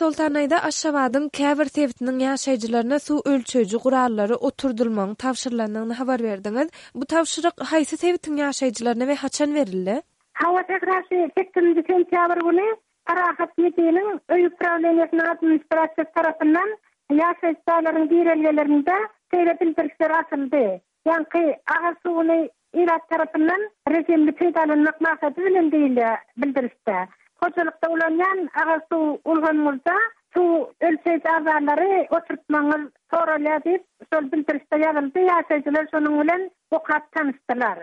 Soltanaýda Aşgabadyň käbir sebitiniň ýaşaýjylaryna suw ölçeýji gurallary oturdylmagyň tabşyrylandygyny habar berdiňiz. Bu tabşyryk haýsy sebitiň ýaşaýjylaryna we haçan berildi? Hawa, Sähra şu sekizinji sentýabr güni Parahat ÝB-niň Öý uprawleniýesiniň administrasiýasy tarapyndan ýaşaýyş jaýlaryň girelgelerinde şeýle bildirişler asyldy. Ýaňky agyz suwuny ilat tarapyndan rejimli peýdalanmak maksady bilen diýilýär bildirişde. Hojalykda ulanýan agyz suw ulgamyňyzda suw ölçeýji abzallary oturtmagyňyz soralýar diýip, şol bildirişde ýazyldy. Ýaşaýjylar şonuň bilen okap tanyşdylar.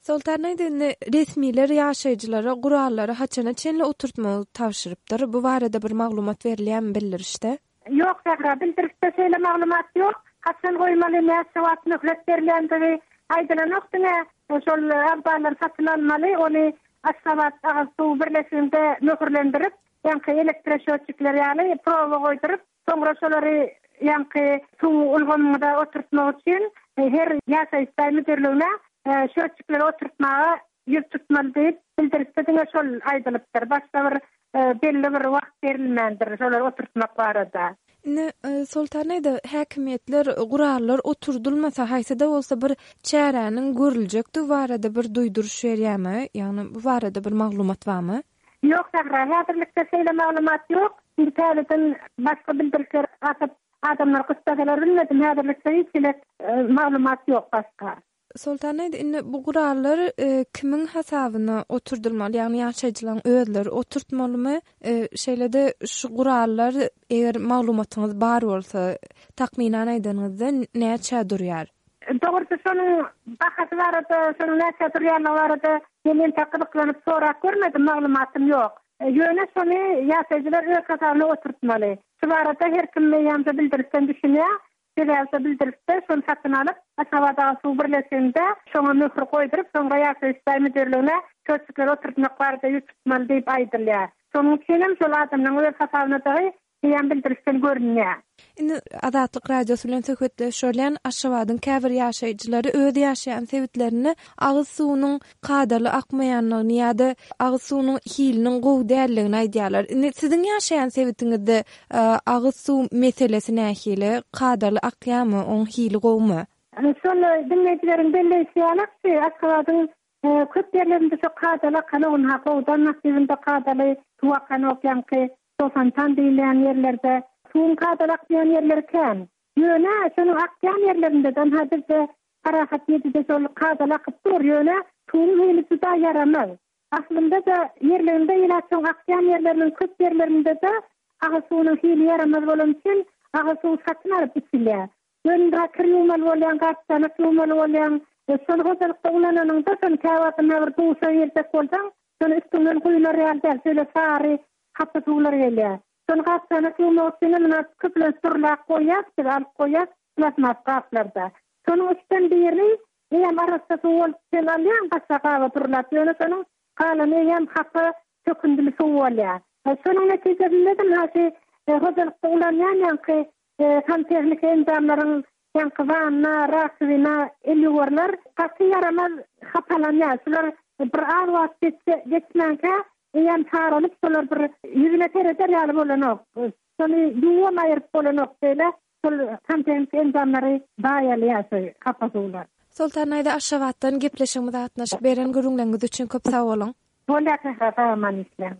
Soltan aýda indi resmiler ýaşaýjylara gurallary haçana çenli oturtmagy tabşyrypdyr? Bu barada bir maglumat berilýärmi bildirişde? Ýok, Sähra, bildirişde şeýle maglumat ýok. Haçan goýmaly, näçe wagt möhlet berilýändigi aýdylanok. Diňe şol abzallary satyn almaly, ony Aşgabat agyz suw birleşiginde möhürlendirip, ýaňky elektroşötçikler ýaly proba goýduryp, soňra şolary ýaňky suw ulgamyňyza oturtmak üçin her ýaşaýyş jaý müdirligine şötçikleri oturtmaga ýüz tutmaly diýip, bildirişde diňe şol aýdylypdyr. Başga bir belli bir wagt berilmändir şolary oturtmak barada. Indi, Soltan aýda, häkimiýetler gurallar oturdylmasa, haýsy-da bolsa bir çäräniň görüljekdigi barada bir duýduryş berýärmi? Ýagny bu barada bir maglumat barmy? Ýok, Sähra, häzirlikde şeýle maglumat ýok. Indi täzeden başga bildirişler asyp, adamlar gyssasalar bilmedim, häzirlikde hiç hili maglumat ýok başga. Soltan aýda, indi bu gurallar kimiň hasabyna oturdylmaly, ýagny ýaşaýjylaryň özleri oturtmalymy? Şeýle-de şu gurallar, eger maglumatyňyz bar bolsa, takmynan aýdanyňyzda näçä durýar? Dogrusy şonuň bahasy barada, şonuň näçä durýanlygy barada men entek gyzyklanyp sorap görmedim, maglumatym ýok. Ýöne şony ýaşaýjylar öz hasabyna oturtmaly. Şu barada her kim eýýäm bildirişden düşünýär. Sebäbi şo bildirişde şony satyn alyp, Aşgabat suw birleşiginde şoňa möhür goýduryp, soňra ýaşaýyş jaý müdirligine çöçükleri oturtmak barada ýüz tutmaly diýip aýdylýar. Şonuň üçin hem şol adamlaryň öz hasabynadygy eýýäm bildirişden görünýär. Indi Azatlyk Radiosy bilen söhbetdeş bolýan Aşgabadyň käbir ýaşaýjylary öz ýaşaýan sebitlerinde agyz suwunyň kadaly akmaýanlygyny ýa-da agyz suwunyň hiliniň gowy däldigini aýdýarlar. Indi siziň ýaşaýan sebitiňizde agyz suw meselesi nähili? Kadaly akýarmy? Oň hili gowumy? Şol diňleýjileriň belleýşi ýaly, Aşgabadyň köp ýerlerinde şo kadaly akanok, ynha Howdan massiwinde kadaly suw akanok, ýaňky Fontan diýilýän ýerlerde suwuň kadaly akmaýan ýerleri kän. Ýöne şonuň akýan ýerlerinde-de, ynha bizde Parahat ýedide şol kadaly akyp dur, ýöne suwuň hili juda ýaramaz. Aslynda-da, ýerliginde ilat şoň akýan ýerleriniň köp ýerlerinde-de agyz suwunyň hili ýaramaz bolany üçin agyz suwy satyn alyp içilýär. Ýöne kir ýuwmaly bolýaň, gap-çanak ýuwmaly bolýaň. Şony hojalykda ulananyňda, şony käwagt ynha bir duşa girjek bolsaň, şony üstüňden guýular ýaly däl, şeýle sary, hapa suwlar gelýär. Şony gap-çanak ýuwmak üçinem ynha köplenç durlap goýýas biz, alyp goýýas plastmas gaplarda. Şonuň üçden biri eýýäm arassa suw bolup sen alýaň başga gaba durlap, ýöne şonuň galany eýýäm hapa çökündili suw bolýar. Şonuň netijesinde-de ynha şu hojalykda ulanýan ýaňky Santehniki enjamlaryň ýaňky wanna, rakowina, el ýuwarlar gaty ýaramaz hapalanýar. Şular bir az wagt geçse, geçmänkä eýýäm saralyp, şolar bir ýüzüne sereder ýaly bolanok. Şony ýuwam aýyryp bolanok beýle şol santehniki enjamlary zaýalaýar şu hapa suwlar. Soltanaýza Aşgabatdan gepleşigimize gatnaşyp beren gürrüňleriňiz üçin köp sag boluň. Bolýar Sähra sag aman işläň.